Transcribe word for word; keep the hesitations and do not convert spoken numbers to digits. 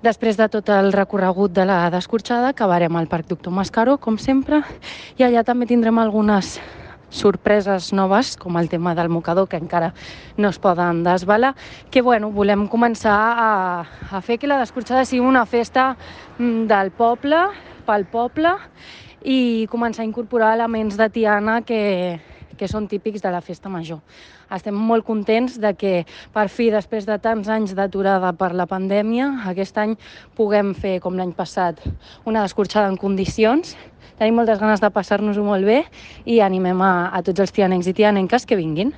Després de tot el recorregut de la d'escorxada, acabarem al Parc Doctor Mascaró, com sempre, i allà també tindrem algunes sorpreses noves, com el tema del mocador, que encara no es poden desvelar, que bueno, volem començar a, a fer que la d'escorxada sigui una festa mm, del poble, pel poble, i començar a incorporar elements de Tiana que, que són típics de la festa major. Estem molt contents de que, per fi, després de tants anys d'aturada per la pandèmia, aquest any puguem fer, com l'any passat, una escorxada en condicions. Tenim moltes ganes de passar-nos-ho molt bé i animem a, a tots els tianencs i tianenques que vinguin.